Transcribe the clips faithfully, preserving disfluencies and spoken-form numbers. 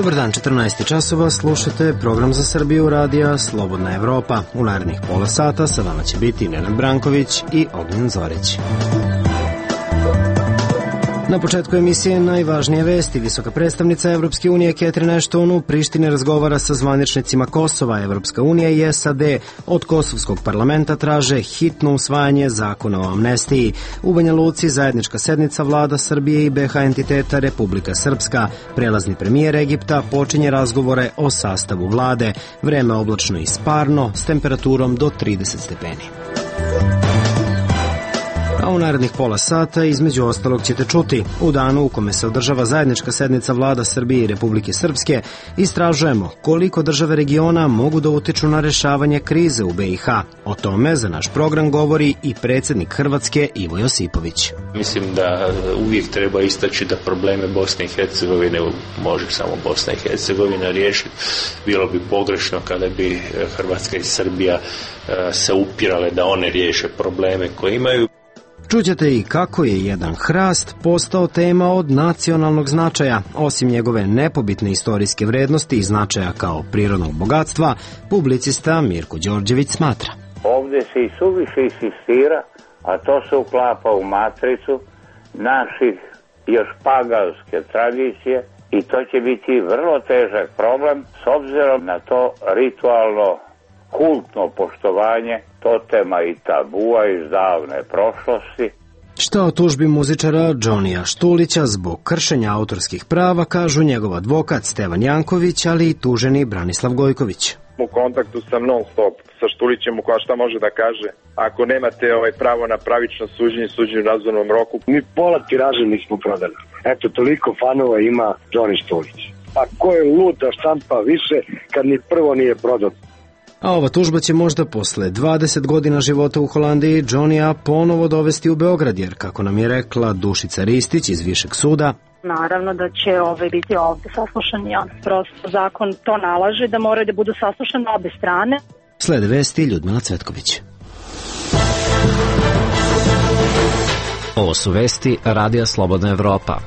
Dobar dan, četrnaest časova, slušate program za Srbiju radija Slobodna Evropa. U narednih pola sata sa vama će biti Nenad Branković i Ognjen Zorić. Na početku emisije najvažnije vesti. Visoka predstavnica Evropske unije Catherine Ashton u Prištini razgovara sa zvaničnicima Kosova. Evropska unija i S A D od Kosovskog parlamenta traže hitno usvajanje zakona o amnestiji. U Banja Luci zajednička sednica vlada Srbije i B H entiteta Republika Srpska. Prelazni premijer Egipta počinje razgovore o sastavu vlade. Vreme oblačno i sparno s temperaturom do trideset stepeni. A u narednih pola sata između ostalog ćete čuti. U danu u kome se održava zajednička sednica vlada Srbije i Republike Srpske istražujemo koliko države regiona mogu da utiču na rešavanje krize u B i H. O tome za naš program govori i predsjednik Hrvatske Ivo Josipović. Mislim da uvijek treba istaći da probleme Bosne i Hercegovine može samo Bosna i Hercegovina riješiti. Bilo bi pogrešno kada bi Hrvatska i Srbija se upirale da one riješe probleme koje imaju. Čućete i kako je jedan hrast postao tema od nacionalnog značaja. Osim njegove nepobitne istorijske vrednosti i značaja kao prirodnog bogatstva, publicista Mirko Đorđević smatra. Ovdje se i suviše insistira, a to se uklapa u matricu naših još paganske tradicije i to će biti vrlo težak problem s obzirom na to ritualno kultno poštovanje totema i tabua iz davne prošlosti. Šta o tužbi muzičara Džonija Štulića zbog kršenja autorskih prava kažu njegov advokat Stevan Janković, ali i tuženi Branislav Gojković. U kontaktu sam non stop sa Štulićem, koja šta može da kaže ako nemate ovaj pravo na pravično suđenje, suđenje u razumnom roku. Mi pola tiraže nismo prodali. Eto, toliko fanova ima Džoni Štulić. A ko je lud da štampa više kad ni prvo nije prodao? A ova tužba će možda posle dvadeset godina života u Holandiji Džonija ponovo dovesti u Beograd, jer kako nam je rekla Dušica Ristić iz Višeg suda, naravno da će ove biti ovde saslušani. On prosto zakon to nalaže da moraju da budu saslušane obe strane. Slede vesti Ljudmila Cvetković. Ovo su vesti Radija Slobodna Evropa.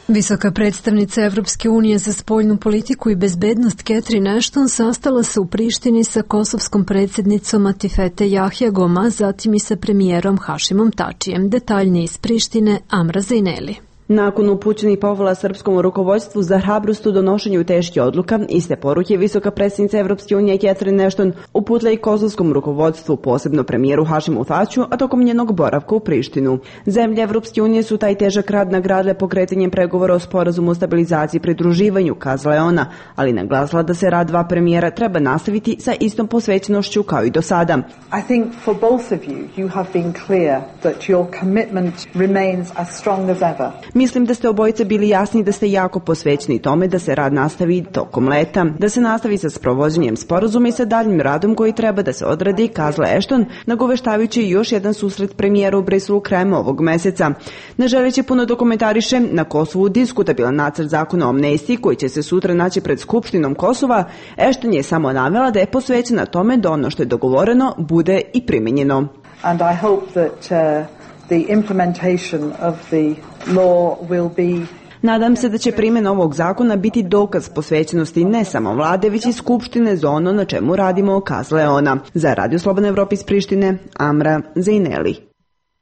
Visoka predstavnica Evropske unije za spoljnu politiku i bezbednost Catherine Ashton sastala se u Prištini sa kosovskom predsjednicom Atifete Jahjagom, a zatim i sa premijerom Hašimom Tačijem. Detaljnije iz Prištine, Amra Zejneli. Nakon upućenih pohvala srpskom rukovodstvu za hrabrost u donošenju teških odluka, iste poruke visoka predsjednica Evropske unije Catherine Ashton uputila i kosovskom rukovodstvu, posebno premijeru Hašimu Tačiju, a tokom njenog boravka u Prištinu. Zemlje Evropske unije su taj težak rad nagradile pokretanjem pregovora o sporazumu o stabilizaciji i pridruživanju, kazala je ona, ali naglasila da se rad dva premijera treba nastaviti sa istom posvećenošću kao i do sada. I think for both of you, you have been clear that your commitment remains as strong as ever. Mislim da ste obojice bili jasni da ste jako posvećeni tome da se rad nastavi tokom leta, da se nastavi sa sprovođenjem sporazuma i sa daljim radom koji treba da se odradi, kazala Ashton, nagoveštavajući još jedan susret premijera u Briselu krajem ovog meseca. Ne želeći puno dokumentariše, na Kosovu diskutabilan nacrt zakona o amnestiji koji će se sutra naći pred Skupštinom Kosova, Ashton je samo navela da je posvećena tome da ono što je dogovoreno bude i primenjeno. And I hope that uh... the implementation of the law will be. Nadam se da će primjena ovog zakona biti dokaz posvećenosti ne samo vlade, već i Skupštine za ono na čemu radimo, kazala je ona. Za Radio Slobodna Evropa iz Prištine, Amra Zejneli.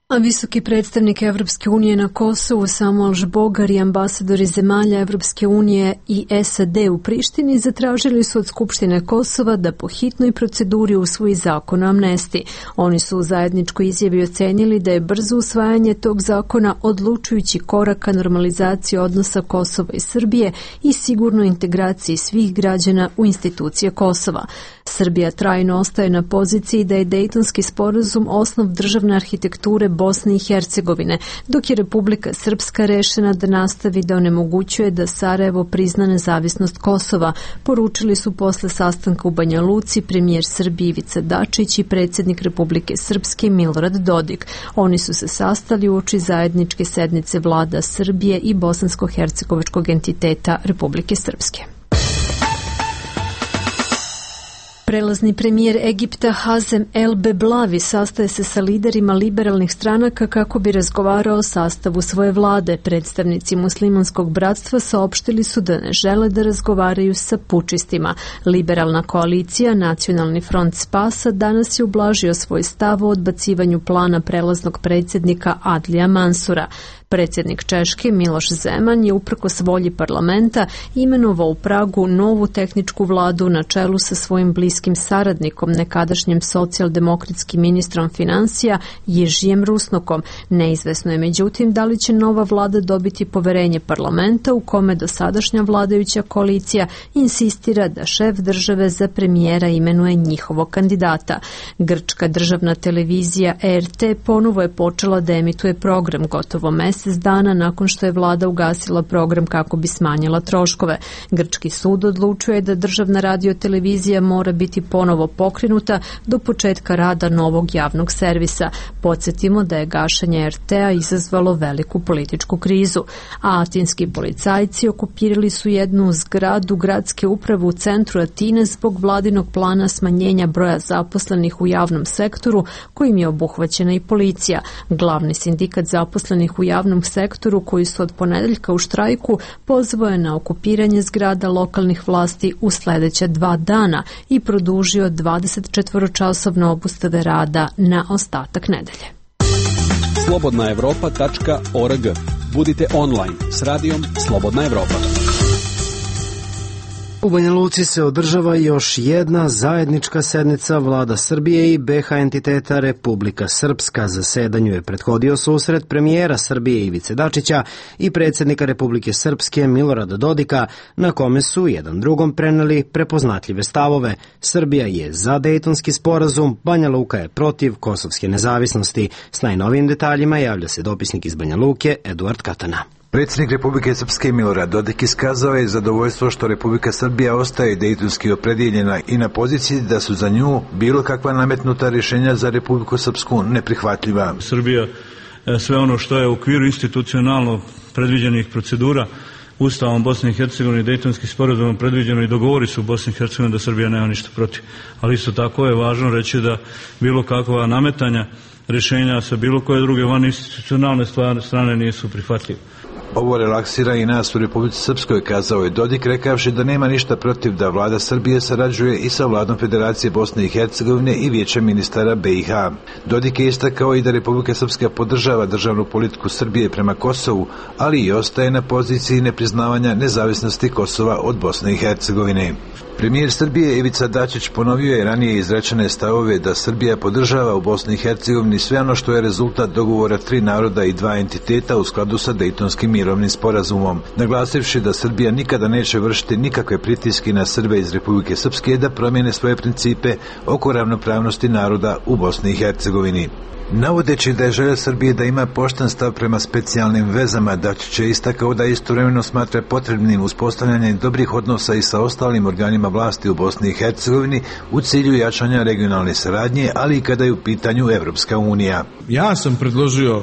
A visoki predstavnik Evropske unije na Kosovu Samuel Žbogar i ambasadori zemalja Evropske unije i S A D u Prištini zatražili su od Skupštine Kosova da po hitnoj proceduri usvoji zakon o amnestiji. Oni su u zajedničkoj izjavi ocenili da je brzo usvajanje tog zakona odlučujući korak ka normalizaciji odnosa Kosova i Srbije i sigurnoj integraciji svih građana u institucije Kosova. Srbija trajno ostaje na poziciji da je Dejtonski sporazum osnov državne arhitekture Bosne i Hercegovine, dok je Republika Srpska rešena da nastavi da onemogućuje da Sarajevo prizna nezavisnost Kosova, poručili su posle sastanka u Banja Luci premijer Srbije Ivica Dačić i predsjednik Republike Srpske Milorad Dodik. Oni su se sastali uoči zajedničke sednice vlada Srbije i bosansko-hercegovačkog entiteta Republike Srpske. Prelazni premijer Egipta Hazem El Beblavi sastaje se sa liderima liberalnih stranaka kako bi razgovarao o sastavu svoje vlade. Predstavnici muslimanskog bratstva saopštili su da ne žele da razgovaraju sa pučistima. Liberalna koalicija Nacionalni front spasa danas je ublažio svoj stav o odbacivanju plana prelaznog predsjednika Adlija Mansura. Predsjednik Češke Miloš Zeman je uprkos volji parlamenta imenovao u Pragu novu tehničku vladu na čelu sa svojim bliskim saradnikom, nekadašnjim socijaldemokratskim ministrom financija Jeržijem Rusnokom. Neizvesno je međutim da li će nova vlada dobiti poverenje parlamenta u kome dosadašnja vladajuća koalicija insistira da šef države za premijera imenuje njihovog kandidata. Grčka državna televizija E R T ponovo je počela da emituje program gotovo mesec dana nakon što je vlada ugasila program kako bi smanjila troškove. Grčki sud odlučuje da državna radiotelevizija mora biti ponovo pokrenuta do početka rada novog javnog servisa. Podsjetimo da je gašenje R T A izazvalo veliku političku krizu. A atinski policajci okupirali su jednu zgradu gradske uprave u centru Atine zbog vladinog plana smanjenja broja zaposlenih u javnom sektoru kojim je obuhvaćena i policija. Glavni sindikat zaposlenih u javnom sektoru koji su od ponedeljka u štrajku pozvao je na okupiranje zgrada lokalnih vlasti u sledeća dva dana i produžio dvadesetčetvoročasovne obustave rada na ostatak nedelje. slobodna evropa tačka org. Budite online s radijom Slobodna Evropa. U Banja Luci se održava još jedna zajednička sednica vlada Srbije i B H entiteta Republika Srpska. Zasedanju je prethodio susret premijera Srbije Ivice Dačića i predsjednika Republike Srpske Milorada Dodika, na kome su jedan drugom preneli prepoznatljive stavove. Srbija je za Dejtonski sporazum, Banja Luka je protiv kosovske nezavisnosti. S najnovijim detaljima javlja se dopisnik iz Banja Luke Eduard Katana. Predsjednik Republike Srpske Milorad Dodik iskazao je zadovoljstvo što Republika Srbija ostaje dejtonski opredjeljena i na poziciji da su za nju bilo kakva nametnuta rješenja za Republiku Srpsku neprihvatljiva. Srbija sve ono što je u okviru institucionalno predviđenih procedura Ustavom Bosne i Hercegovine i Dejtonskim sporazumom predviđeno i dogovori su u Bosni i Hercegovini da Srbija nema ništa protiv. Ali isto tako je važno reći da bilo kakva nametanja rješenja sa bilo koje druge van institucionalne strane nisu prihvatljive. Ovo relaksira i nas u Republici Srpskoj, kazao je Dodik, rekavši da nema ništa protiv da vlada Srbije sarađuje i sa vladom Federacije Bosne i Hercegovine i vijećem ministara B i H. Dodik je istakao i da Republika Srpska podržava državnu politiku Srbije prema Kosovu, ali i ostaje na poziciji nepriznavanja nezavisnosti Kosova od Bosne i Hercegovine. Premijer Srbije Ivica Dačić ponovio je ranije izrečene stavove da Srbija podržava u Bosni i Hercegovini sve ono što je rezultat dogovora tri naroda i dva entiteta u skladu sa Dejtonskim mirovnim sporazumom, naglasivši da Srbija nikada neće vršiti nikakve pritiske na Srbe iz Republike Srpske da promijene svoje principe oko ravnopravnosti naroda u Bosni i Hercegovini. Navodeći da je želja Srbije da ima pošten stav prema specijalnim vezama, Dačić je istakao da istovremeno smatra potrebnim uspostavljanje dobrih odnosa i sa ostalim organima vlasti u Bosni i Hercegovini u cilju jačanja regionalne saradnje, ali i kada je u pitanju Evropska unija. Ja sam predložio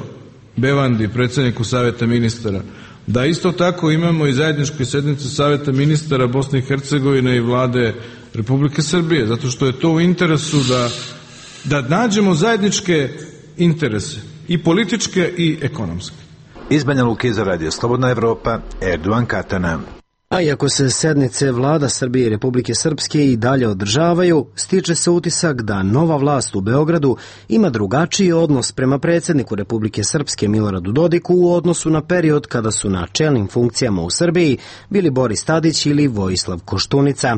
Bevandi, predsjedniku Saveta ministara, da isto tako imamo i zajedničke sednice Saveta ministara Bosne i Hercegovine i vlade Republike Srbije, zato što je to u interesu da, da nađemo zajedničke interese, i političke i ekonomske. Iz Banja Luke za Radio Slobodna Evropa, Erdogan Katana. A iako se sednice vlada Srbije i Republike Srpske i dalje održavaju, stiče se utisak da nova vlast u Beogradu ima drugačiji odnos prema predsjedniku Republike Srpske Miloradu Dodiku u odnosu na period kada su na čelnim funkcijama u Srbiji bili Boris Tadić ili Vojislav Koštunica.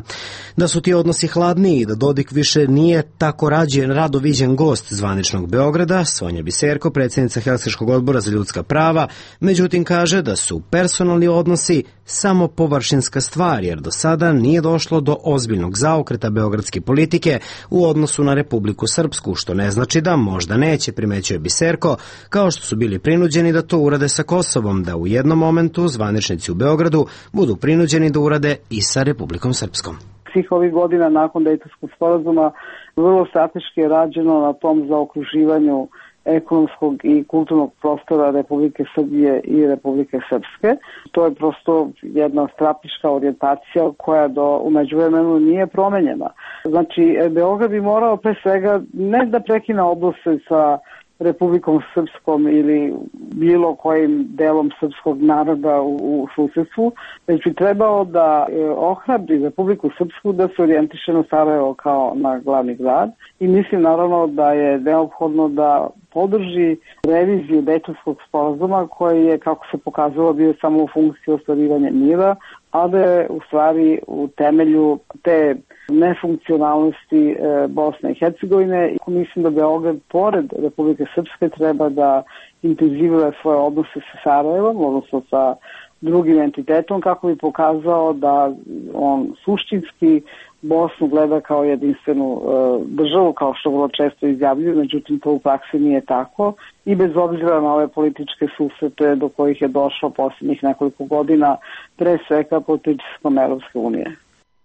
Da su ti odnosi hladniji i da Dodik više nije tako rađen rado viđen gost zvaničnog Beograda, Sonja Biserko, predsjednica Helsinškog odbora za ljudska prava, međutim kaže da su personalni odnosi samo površinska stvar, jer do sada nije došlo do ozbiljnog zaokreta beogradske politike u odnosu na Republiku Srpsku, što ne znači da možda neće, primećuje Biserko, kao što su bili prinuđeni da to urade sa Kosovom, da u jednom momentu zvaničnici u Beogradu budu prinuđeni da urade i sa Republikom Srpskom. Svih ovih godina nakon Dejtonskog sporazuma vrlo strateški je rađeno na tom zaokruživanju ekonomskog i kulturnog prostora Republike Srbije i Republike Srpske. To je prosto jedna strateška orijentacija koja do u međuvremenu nije promenjena. Znači, Beograd bi morao pre svega ne da prekine odnose sa Republikom Srpskom ili bilo kojim delom srpskog naroda u, u susedstvu, već bi trebao da e, ohrabri Republiku Srpsku da se orijentiše na Sarajevo kao na glavni grad i mislim naravno da je neophodno da podrži reviziju Dejtonskog sporazuma koji je, kako se pokazalo, bio samo u funkciji ostvarivanja mira, a da je u stvari u temelju te nefunkcionalnosti e, Bosne i Hercegovine. Mislim da Beograd, pored Republike Srpske, treba da intenzivira svoje odnose sa Sarajevom, odnosno sa drugim entitetom, kako bi pokazao da on suštinski Bosnu gleda kao jedinstvenu e, državu, kao što vrlo često izjavljuju, međutim to u praksi nije tako i bez obzira na ove političke susrete do kojih je došlo posljednjih nekoliko godina, pre svega pod pritiskom Evropske unije.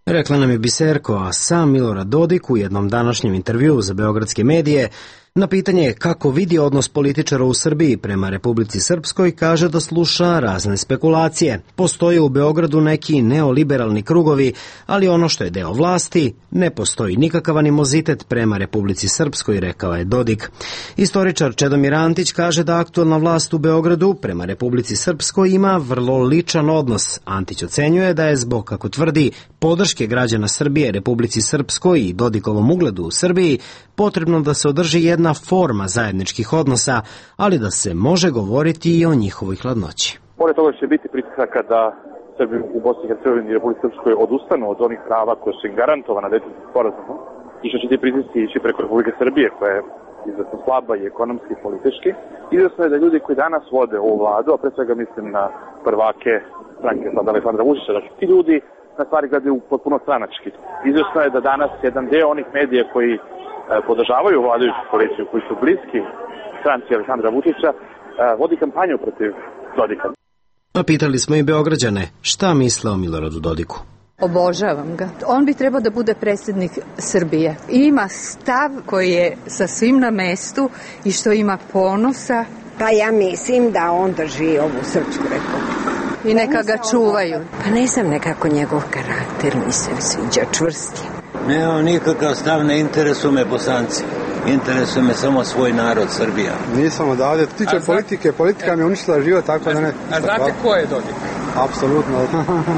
Rekla nam je Biserko, a sam Milorad Dodik u jednom današnjem intervjuu za beogradske medije na pitanje kako vidi odnos političara u Srbiji prema Republici Srpskoj kaže da sluša razne spekulacije. Postoje u Beogradu neki neoliberalni krugovi, ali ono što je deo vlasti, ne postoji nikakav animozitet prema Republici Srpskoj, rekao je Dodik. Istoričar Čedomir Antić kaže da aktualna vlast u Beogradu prema Republici Srpskoj ima vrlo ličan odnos. Antić ocenjuje da je zbog, kako tvrdi, podrške građana Srbije Republici Srpskoj i Dodikovom ugledu u Srbiji potrebno da se održi jedna forma zajedničkih odnosa, ali da se može govoriti i o njihovoj hladnoći. Pored toga će biti pritisaka da Srbi u Bosni i Hercegovini i Republici Srpskoj odustanu od onih prava koje su im garantovana Dejtonskim sporazumom i što će ti pritisci ići preko Republike Srbije koja je izuzetno slaba i ekonomski i politički. Izvesno je da ljudi koji danas vode ovu vladu, a pre svega mislim na prvake stranke sada Aleksandra Vučića, da ti ljudi na stvari gledaju potpuno stranački. Izvesno je da danas jedan deo onih medija koji podržavaju vladajuću koaliciju, koji su bliski stranci Aleksandra Vučića, vodi kampanju protiv Dodika. A pitali smo i Beograđane šta misle o Miloradu Dodiku. Obožavam ga. On bi trebao da bude predsjednik Srbije. Ima stav koji je sasvim na mestu i što ima ponosa. Pa ja mislim da on drži ovu Srpsku republiku. I neka ga čuvaju. Pa ne znam, nekako njegov karakter mi se sviđa, čvrsti. Nemam nikakav stav, ne interesuju me Bosanci. Interesuje me samo svoj narod, Srbija. Nisam odavde. Tiče politike, politika mi je uništila život, tako da ne... A znate ko je Dodik? Apsolutno.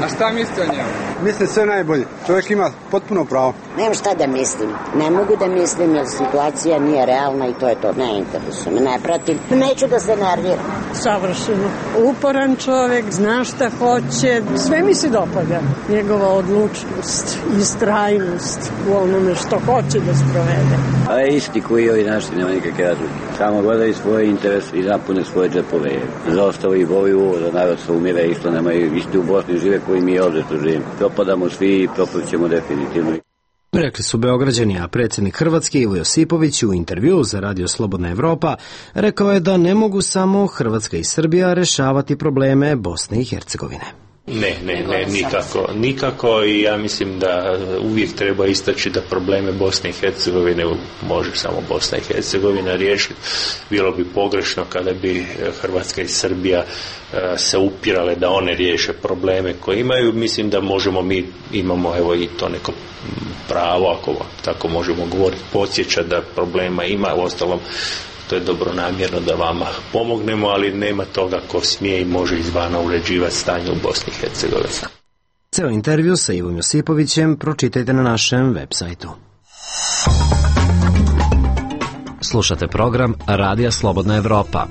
A šta mislite o njemu? Mislim sve najbolje. Čovjek ima potpuno pravo. Nemam šta da mislim. Ne mogu da mislim jer situacija nije realna i to je to. Ne interesuje me, ne pratim. Neću da se nerviram. Savršeno. Uporan čovjek, zna šta hoće. Sve mi se dopada. Njegova odlučnost, istrajnost u onome što hoće da sprovede. A je isti koji ovi naši, nema nikakve razlike. Samo gledaju svoje interese i napune svoje džepove. Za ostalo i boju ovo, da narod se umire, isto nemaju, isti u Bosni žive koji mi ovdje tu živimo. Propadamo svi i propaćemo definitivno. Rekli su Beograđani, a predsjednik Hrvatske Ivo Josipović u intervju za Radio Slobodna Evropa rekao je da ne mogu samo Hrvatska i Srbija rešavati probleme Bosne i Hercegovine. Ne, ne, ne, nikako, nikako i ja mislim da uvijek treba istaći da probleme Bosne i Hercegovine može samo Bosna i Hercegovina riješiti. Bilo bi pogrešno kada bi Hrvatska i Srbija se upirale da one riješe probleme koje imaju. Mislim da možemo, mi imamo evo i to neko pravo, ako tako možemo govoriti, podsjeća da problema ima, u ostalom to je dobronamjerno da vama pomognemo, ali nema toga ko smije i može izvana uređivati stanje u Bosni i Hercegovini. Ceo intervju sa Ivom Josipovićem pročitajte na našem web sajtu. Slušate program Radija Slobodna Evropa.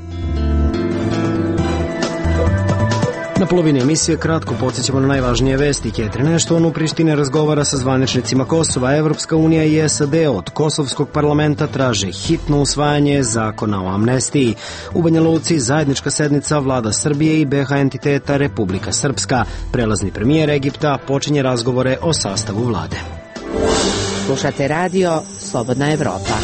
Na polovini emisije kratko podsjećamo na najvažnije vesti. Catherine Ashton u Prištini razgovara sa zvaničnicima Kosova. Evropska unija i S A D od kosovskog parlamenta traže hitno usvajanje zakona o amnestiji. U Banja Luci zajednička sednica vlada Srbije i B H entiteta Republika Srpska. Prelazni premijer Egipta počinje razgovore o sastavu vlade. Slušate radio Slobodna Evropa.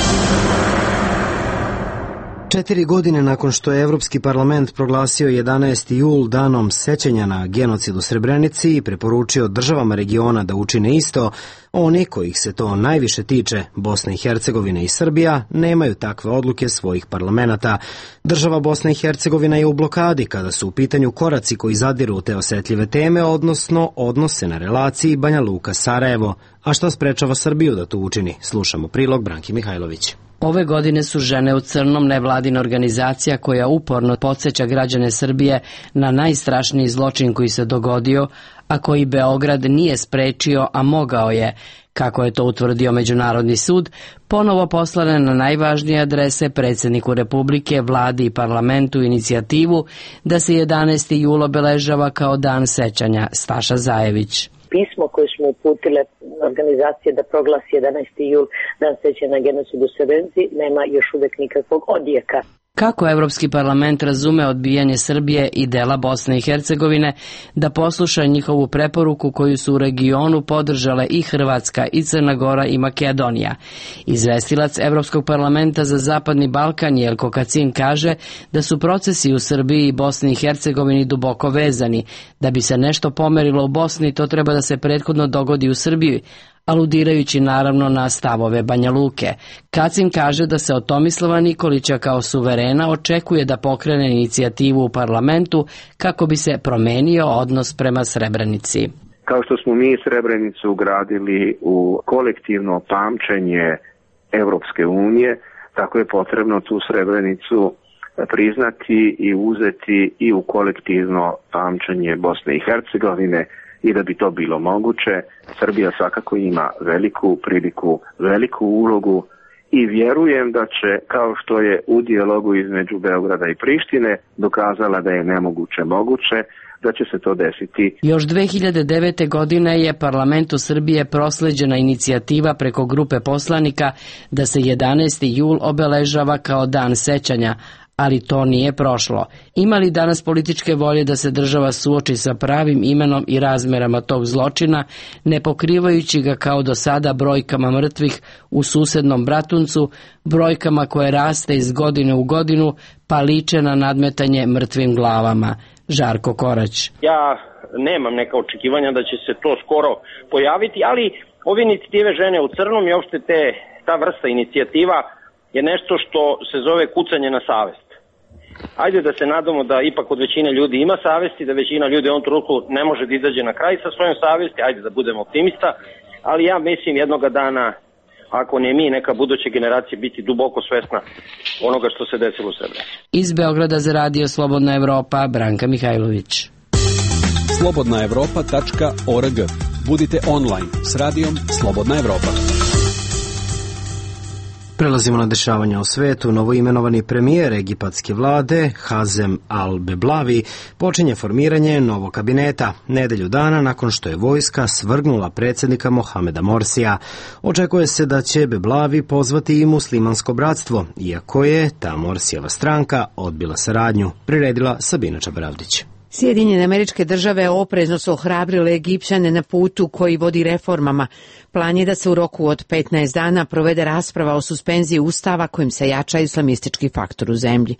Četiri godine nakon što je Evropski parlament proglasio jedanaesti jul danom sećanja na genocid u Srebrenici i preporučio državama regiona da učine isto, oni kojih se to najviše tiče, Bosna i Hercegovina i Srbija, nemaju takve odluke svojih parlamenata. Država Bosna i Hercegovina je u blokadi kada su u pitanju koraci koji zadiru te osetljive teme, odnosno odnose na relaciji Banja Luka-Sarajevo. A što sprečava Srbiju da to učini? Slušamo prilog Branki Mihajlović. Ove godine su Žene u crnom nevladina organizacija koja uporno podsjeća građane Srbije na najstrašniji zločin koji se dogodio, a koji Beograd nije sprečio, a mogao je, kako je to utvrdio Međunarodni sud, ponovo poslane na najvažnije adrese predsjedniku Republike, vladi i parlamentu inicijativu da se jedanaesti jul obeležava kao dan sećanja. Staša Zajević. Pismo koje smo uputile organizacije da proglasi jedanaesti jul dan sećanja na genocid u Srebrenici nema još uvek nikakvog odjeka. Kako Evropski parlament razume odbijanje Srbije i dela Bosne i Hercegovine da posluša njihovu preporuku koju su u regionu podržale i Hrvatska i Crna Gora i Makedonija? Izvestilac Evropskog parlamenta za Zapadni Balkan Jelko Kacin kaže da su procesi u Srbiji i Bosni i Hercegovini duboko vezani. Da bi se nešto pomerilo u Bosni, to treba da se prethodno dogodi u Srbiji, aludirajući naravno na stavove Banja Luke. Kacin kaže da se od Tomislava Nikolića kao suverena očekuje da pokrene inicijativu u parlamentu kako bi se promenio odnos prema Srebrenici. Kao što smo mi Srebrenicu ugradili u kolektivno pamćenje Evropske unije, tako je potrebno tu Srebrenicu priznati i uzeti i u kolektivno pamćenje Bosne i Hercegovine. I da bi to bilo moguće, Srbija svakako ima veliku priliku, veliku ulogu i vjerujem da će, kao što je u dijalogu između Beograda i Prištine dokazala da je nemoguće moguće, da će se to desiti. Još dve hiljade devete. godine je parlamentu Srbije prosleđena inicijativa preko grupe poslanika da se jedanaesti jul obeležava kao dan sećanja, ali to nije prošlo. Ima li danas političke volje da se država suoči sa pravim imenom i razmerama tog zločina, ne pokrivajući ga kao do sada brojkama mrtvih u susednom Bratuncu, brojkama koje raste iz godine u godinu, pa liče na nadmetanje mrtvim glavama? Žarko Korać. Ja nemam neka očekivanja da će se to skoro pojaviti, ali ove inicijative Žene u crnom i uopšte te, ta vrsta inicijativa je nešto što se zove kucanje na savest. Ajde da se nadamo da ipak od većine ljudi ima savesti, da većina ljudi u ovom trenutku ne može da izađe na kraj sa svojom savesti, ajde da budemo optimista, ali ja mislim jednoga dana, ako ne mi, neka buduća generacija biti duboko svesna onoga što se desilo u Srebrenici. Iz Beograda za radio Slobodna Evropa, Branka Mihajlović. slobodna evropa tačka org. Budite online s radijom Slobodna Evropa. Prelazimo na dešavanja u svetu. Novoimenovani premijer egipatske vlade, Hazem al-Beblavi, počinje formiranje novog kabineta nedelju dana nakon što je vojska svrgnula predsjednika Mohameda Morsija. Očekuje se da će Beblavi pozvati i muslimansko bratstvo, iako je ta Morsijeva stranka odbila saradnju, priredila Sabina Čabaravdić. Sjedinjene Američke Države oprezno su ohrabrile Egipćane na putu koji vodi reformama. Plan je da se u roku od petnaest dana provede rasprava o suspenziji ustava kojim se jača islamistički faktor u zemlji.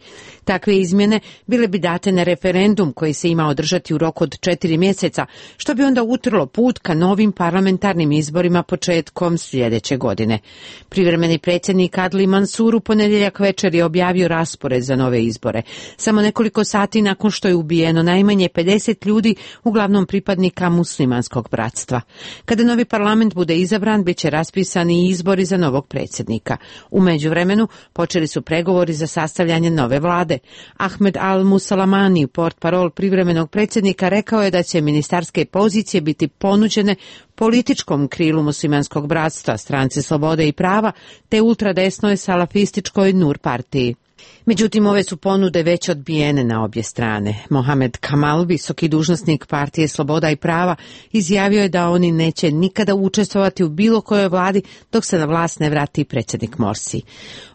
Takve izmjene bile bi date na referendum koji se ima održati u roku od četiri mjeseca, što bi onda utrlo put ka novim parlamentarnim izborima početkom sljedeće godine. Privremeni predsjednik Adli Mansur u ponedjeljak večer je objavio raspored za nove izbore. Samo nekoliko sati nakon što je ubijeno najmanje pedeset ljudi, uglavnom pripadnika muslimanskog bratstva. Kada novi parlament bude izabran, bit će raspisani izbori za novog predsjednika. U međuvremenu počeli su pregovori za sastavljanje nove vlade. Ahmed al-Musalamani, portparol privremenog predsjednika, rekao je da će ministarske pozicije biti ponuđene političkom krilu muslimanskog bratstva, stranci Slobode i prava, te ultradesnoj salafističkoj Nur partiji. Međutim, ove su ponude već odbijene na obje strane. Mohamed Kamal, visoki dužnosnik partije Sloboda i prava, izjavio je da oni neće nikada učestvovati u bilo kojoj vladi dok se na vlast ne vrati predsjednik Morsi.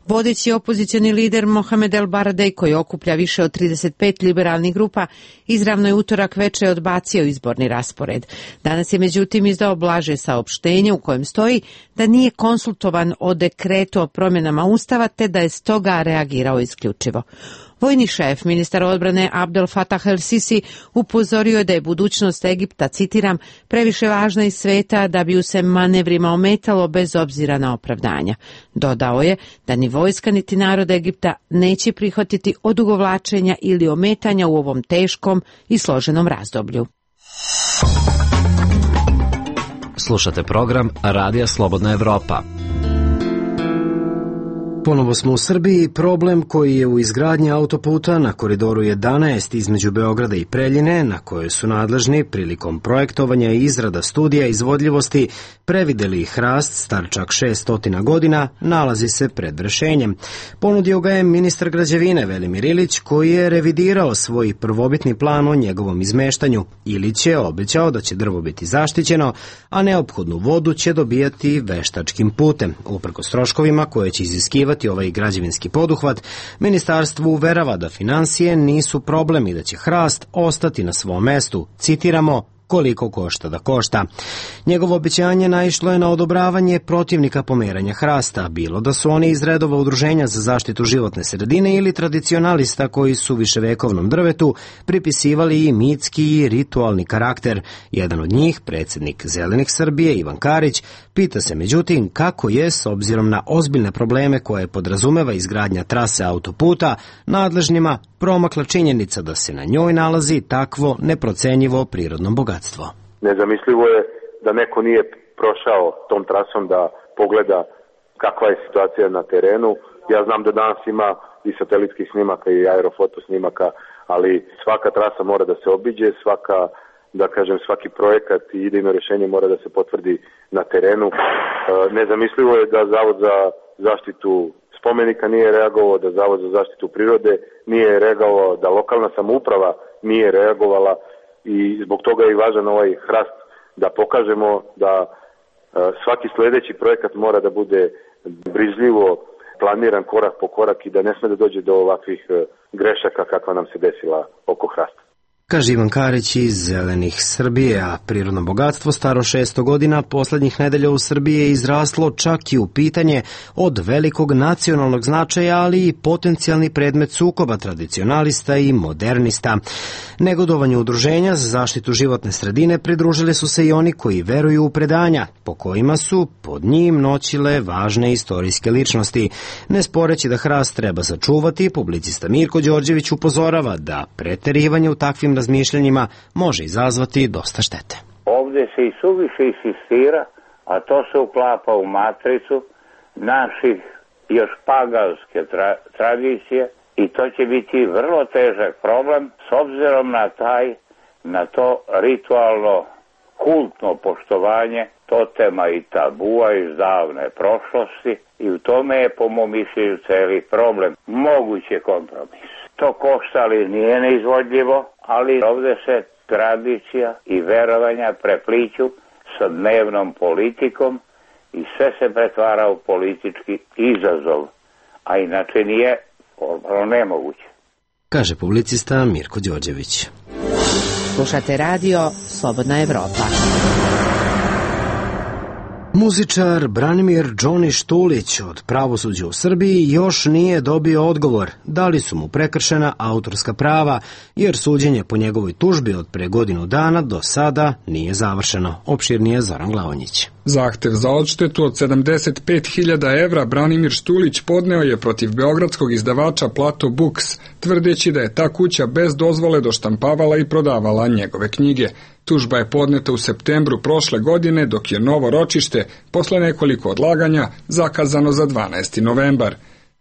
Vodeći opozicioni lider Mohamed El Baradej, koji okuplja više od trideset pet liberalnih grupa, izravno je utorak veče odbacio izborni raspored. Danas je međutim izdao blaže saopštenje u kojem stoji da nije konsultovan o dekretu o promjenama ustava te da je stoga reagirao isključivo. Vojni šef, ministar odbrane Abdel Fattah el-Sisi, upozorio je da je budućnost Egipta, citiram, previše važna iz sveta da bi ju se manevrima ometalo bez obzira na opravdanja. Dodao je da ni vojska niti narod Egipta neće prihvatiti odugovlačenja ili ometanja u ovom teškom i složenom razdoblju. Slušate program Radija Slobodna Evropa. Ponovo smo u Srbiji. Problem koji je u izgradnji autoputa na koridoru jedanaest između Beograda i Preljine, na koje su nadležni prilikom projektovanja i izrada studija izvodljivosti prevideli hrast star čak šesnaest godina, nalazi se pred rešenjem. Ponudio ga je ministar građevine Velimir Ilić, koji je revidirao svoj prvobitni plan o njegovom izmeštanju. Ilić je obećao da će drvo biti zaštićeno, a neophodnu vodu će dobijati veštačkim putem. Uprkos troškovima koje će iziskivati ovaj građevinski poduhvat, ministarstvo uverava da finansije nisu problem i da će hrast ostati na svom mestu. Citiramo, koliko košta da košta. Njegovo obećanje naišlo je na odobravanje protivnika pomeranja hrasta, bilo da su oni iz redova udruženja za zaštitu životne sredine ili tradicionalista koji su viševekovnom drvetu pripisivali i mitski i ritualni karakter. Jedan od njih, predsjednik Zelenih Srbije Ivan Karić, pita se međutim kako je, s obzirom na ozbiljne probleme koje podrazumeva izgradnja trase autoputa, nadležnima promakla činjenica da se na njoj nalazi takvo neprocenjivo prirodno bogatstvo. Nezamislivo je da neko nije prošao tom trasom da pogleda kakva je situacija na terenu. Ja znam da danas ima i satelitskih snimaka i aerofoto snimaka, ali svaka trasa mora da se obiđe, svaka, da kažem, svaki projekat i idejno rješenje mora da se potvrdi na terenu. Nezamislivo je da Zavod za zaštitu spomenika nije reagovao, da Zavod za zaštitu prirode nije reagovao, da lokalna samouprava nije reagovala i zbog toga je i važan ovaj hrast da pokažemo da svaki sljedeći projekat mora da bude brižljivo planiran korak po korak i da ne sme da dođe do ovakvih grešaka kakva nam se desila oko hrasta. Kaže Ivan Karić iz Zelenih Srbije, a prirodno bogatstvo staro šesto godina poslednjih nedelja u Srbiji je izraslo čak i u pitanje od velikog nacionalnog značaja, ali i potencijalni predmet sukoba tradicionalista i modernista. Negodovanju udruženja za zaštitu životne sredine pridružili su se i oni koji veruju u predanja, po kojima su pod njim noćile važne istorijske ličnosti. Ne sporeći da hrast treba sačuvati, publicista Mirko Đorđević upozorava da preterivanje u takvim razmišljanjima može izazvati dosta štete. Ovdje se i suviše insistira, a to se uklapa u matricu naših još paganske tra- tradicije i to će biti vrlo težak problem s obzirom na taj, na to ritualno kultno poštovanje totema i tabua iz davne prošlosti i u tome je po mom mišljenju celi problem. Moguće kompromis. To košta, ali nije neizvodljivo, ali ovdje se tradicija i verovanja prepliću sa dnevnom politikom i sve se pretvara u politički izazov, a inače nije ono nemoguće. Kaže publicista Mirko Đorđević. Slušate radio Slobodna Evropa. Muzičar Branimir Džoni Štulić od pravosuđa u Srbiji još nije dobio odgovor da li su mu prekršena autorska prava, jer suđenje po njegovoj tužbi od pre godinu dana do sada nije završeno. Opširnije Zoran Glavonjić. Zahtev za odštetu od sedamdeset pet hiljada evra Branimir Štulić podneo je protiv beogradskog izdavača Plato Books, tvrdeći da je ta kuća bez dozvole doštampavala i prodavala njegove knjige. Tužba je podneta u septembru prošle godine, dok je novo ročište, posle nekoliko odlaganja, zakazano za dvanaesti novembar.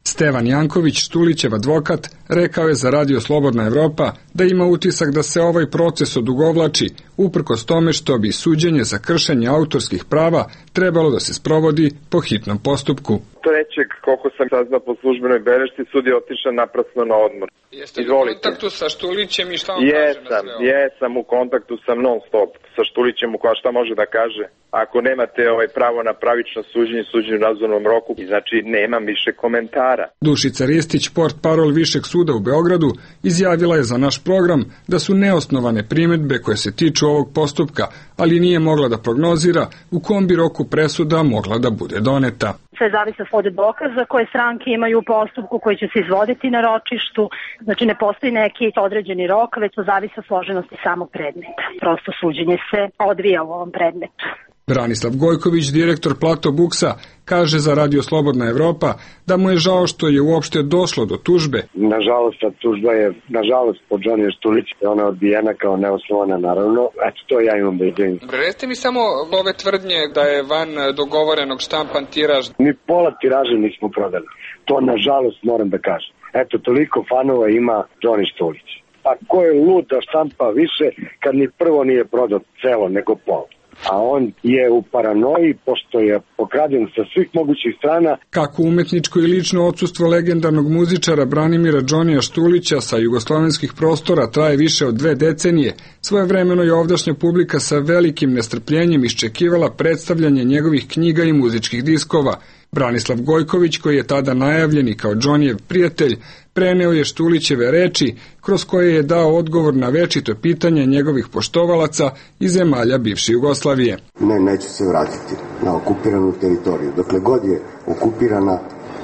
Stevan Janković, Štulićev advokat, rekao je za radio Slobodna Evropa da ima utisak da se ovaj proces odugovlači uprkos tome što bi suđenje za kršenje autorskih prava trebalo da se sprovodi po hitnom postupku. Trećeg, koliko sam saznao po službenoj belešci, sud je otišao naprasno na odmor. Jeste li u kontaktu sa Štulićem i šta on jesam, kaže na sve ovo? Jesam u kontaktu sam non stop sa Štulićem, koja šta može da kaže. Ako nemate ovaj pravo na pravično suđenje, suđenje u razumnom roku, znači nemam više komentara. Dušica Ristić, portparol Višeg suda u Beogradu, izjavila je za naš program da su neosnovane primedbe koje se tiču ovog postupka, ali nije mogla da prognozira u kom bi roku presuda mogla da bude doneta. Sve zavisi od dokaza koje stranke imaju u postupku koji će se izvoditi na ročištu. Znači ne postoji neki određeni rok, već to zavisi od složenosti samog predmeta. Prosto suđenje se odvija u ovom predmetu. Branislav Gojković, direktor Plato Buksa, kaže za Radio Slobodna Evropa da mu je žao što je uopšte došlo do tužbe. Nažalost, ta tužba je, nažalost, po Johnny Štuliću, ona je odbijena kao neosnovana, naravno. Eto, to ja imam da izvinim. Recite mi samo ove tvrdnje da je van dogovorenog štampan tiraž. Ni pola tiraža nismo prodali. To, nažalost, moram da kažem. Eto, toliko fanova ima Johnny Štulić. Pa ko je lud da štampa više kad ni prvo nije prodao celo, nego pol? A on je u paranoji, pošto je pokraden sa svih mogućih strana. Kako umetničko i lično odsustvo legendarnog muzičara Branimira Džonija Štulića sa jugoslovenskih prostora traje više od dve decenije, svojevremeno je ovdašnja publika sa velikim nestrpljenjem iščekivala predstavljanje njegovih knjiga i muzičkih diskova. Branislav Gojković, koji je tada najavljeni kao Džonijev prijatelj, preneo je Štulićeve reči, kroz koje je dao odgovor na večito pitanje njegovih poštovalaca iz zemalja bivše Jugoslavije. Ne, neću se vratiti na okupiranu teritoriju. Dokle god je okupirana,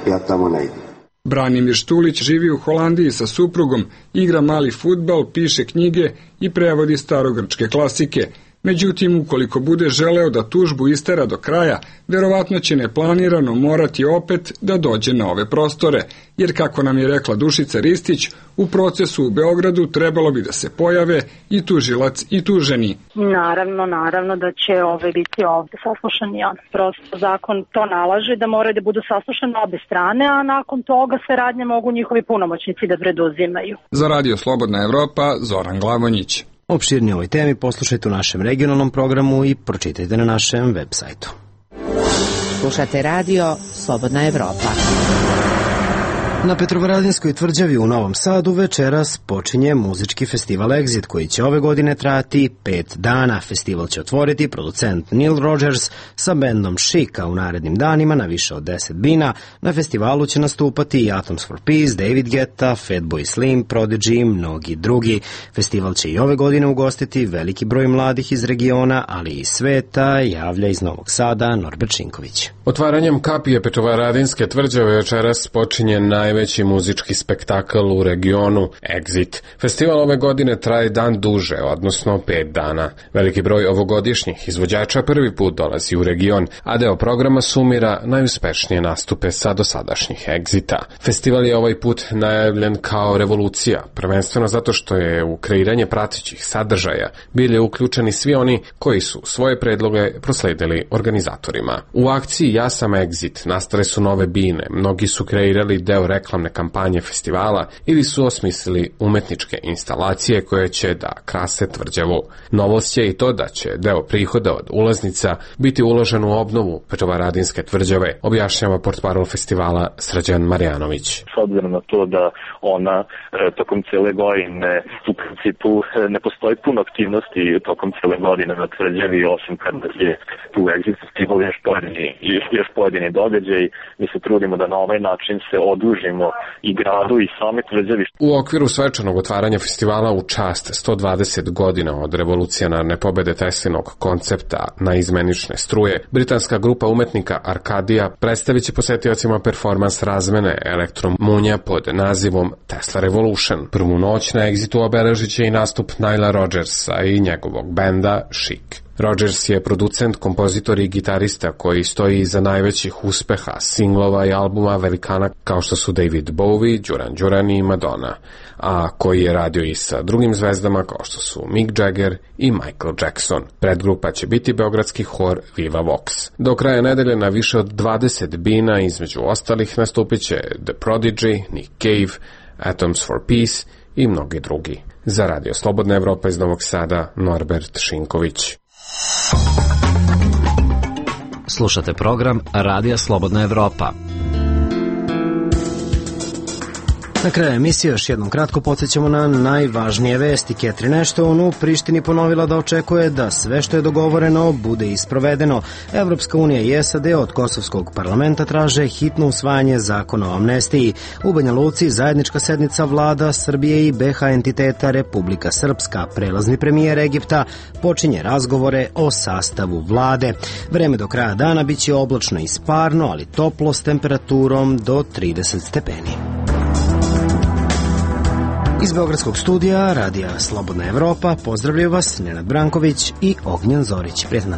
ja tamo ne idem. Branimir Štulić živi u Holandiji sa suprugom, igra mali fudbal, piše knjige i prevodi starogrčke klasike. Međutim, ukoliko bude želeo da tužbu istera do kraja, verovatno će neplanirano morati opet da dođe na ove prostore, jer kako nam je rekla Dušica Ristić, u procesu u Beogradu trebalo bi da se pojave i tužilac i tuženi. Naravno, naravno da će ove biti ovde saslušani on. Prosto zakon to nalaže da moraju da budu saslušane obe strane, a nakon toga sve radnje mogu njihovi punomoćnici da preduzimaju. Za Radio Slobodna Evropa, Zoran Glavonjić. Opširnije o ovoj temi poslušajte u našem regionalnom programu i pročitajte na našem web sajtu. Slušate radio Slobodna Evropa. Na Petrovaradinskoj tvrđavi u Novom Sadu večeras počinje muzički festival Exit koji će ove godine trajati pet dana. Festival će otvoriti producent Neil Rogers sa bendom Chic, a u narednim danima na više od deset bina. Na festivalu će nastupati i Atoms for Peace, David Guetta, Fatboy Slim, Prodigy i mnogi drugi. Festival će i ove godine ugostiti veliki broj mladih iz regiona, ali i sveta, javlja iz Novog Sada Norbert Šinković. Otvaranjem kapije Petrovaradinske tvrđave večeras počinje najveći muzički spektakl u regionu Exit. Festival ove godine traje dan duže, odnosno pet dana. Veliki broj ovogodišnjih izvođača prvi put dolazi u region, a deo programa sumira najuspešnije nastupe sa dosadašnjih Exita. Festival je ovaj put najavljen kao revolucija, prvenstveno zato što je u kreiranje pratećih sadržaja bili uključeni svi oni koji su svoje predloge prosledili organizatorima. U akciji Ja sam Exit nastale su nove bine, mnogi su kreirali deo reklamne kampanje festivala ili su osmislili umetničke instalacije koje će da krase tvrđavu. Novost je i to da će deo prihoda od ulaznica biti uložen u obnovu Petrovaradinske tvrđave, objašnjava portparol festivala Srđan Marjanović. S obzirom na to da ona tokom cele godine u principu ne postoji puno aktivnosti tokom cele godine na tvrđavi, osim kada je tu Exit festival još pojedini, još pojedini događaj. Mi se trudimo da na ovaj način se odužimo i gradu i same tvrđavi. U okviru svečanog otvaranja festivala u čast sto dvadeset godina od revolucionarne pobede Teslinog koncepta na izmenične struje, britanska grupa umetnika Arkadija predstavit će posetiocima performans razmene elektromunja pod nazivom Tesla Revolution. Prvu noć na Exitu obeležit će i nastup Nila Rogersa i njegovog benda Chic. Rogers je producent, kompozitor i gitarista koji stoji iza najvećih uspeha singlova i albuma velikana kao što su David Bowie, Duran Duran i Madonna, a koji je radio i sa drugim zvezdama kao što su Mick Jagger i Michael Jackson. Predgrupa će biti beogradski hor Viva Vox. Do kraja nedelje na više od dvadeset bina, između ostalih, nastupit će The Prodigy, Nick Cave, Atoms for Peace i mnogi drugi. Za Radio Slobodna Evropa iz Novog Sada, Norbert Šinković. Slušate program Radija Slobodna Evropa. Na kraju emisije još jednom kratko podsjećamo na najvažnije vesti. Catherine Ashton u Prištini ponovila da očekuje da sve što je dogovoreno bude isprovedeno. Evropska unija i S A D od kosovskog parlamenta traže hitno usvajanje zakona o amnestiji. U Banja Luci zajednička sednica vlada Srbije i B H entiteta Republika Srpska. Prelazni premijer Egipta počinje razgovore o sastavu vlade. Vreme do kraja dana biće oblačno i sparno, ali toplo s temperaturom do trideset stepeni. Iz Beogradskog studija Radija Slobodna Evropa pozdravljaju vas Nenad Branković i Ognjen Zorić. Prijetno.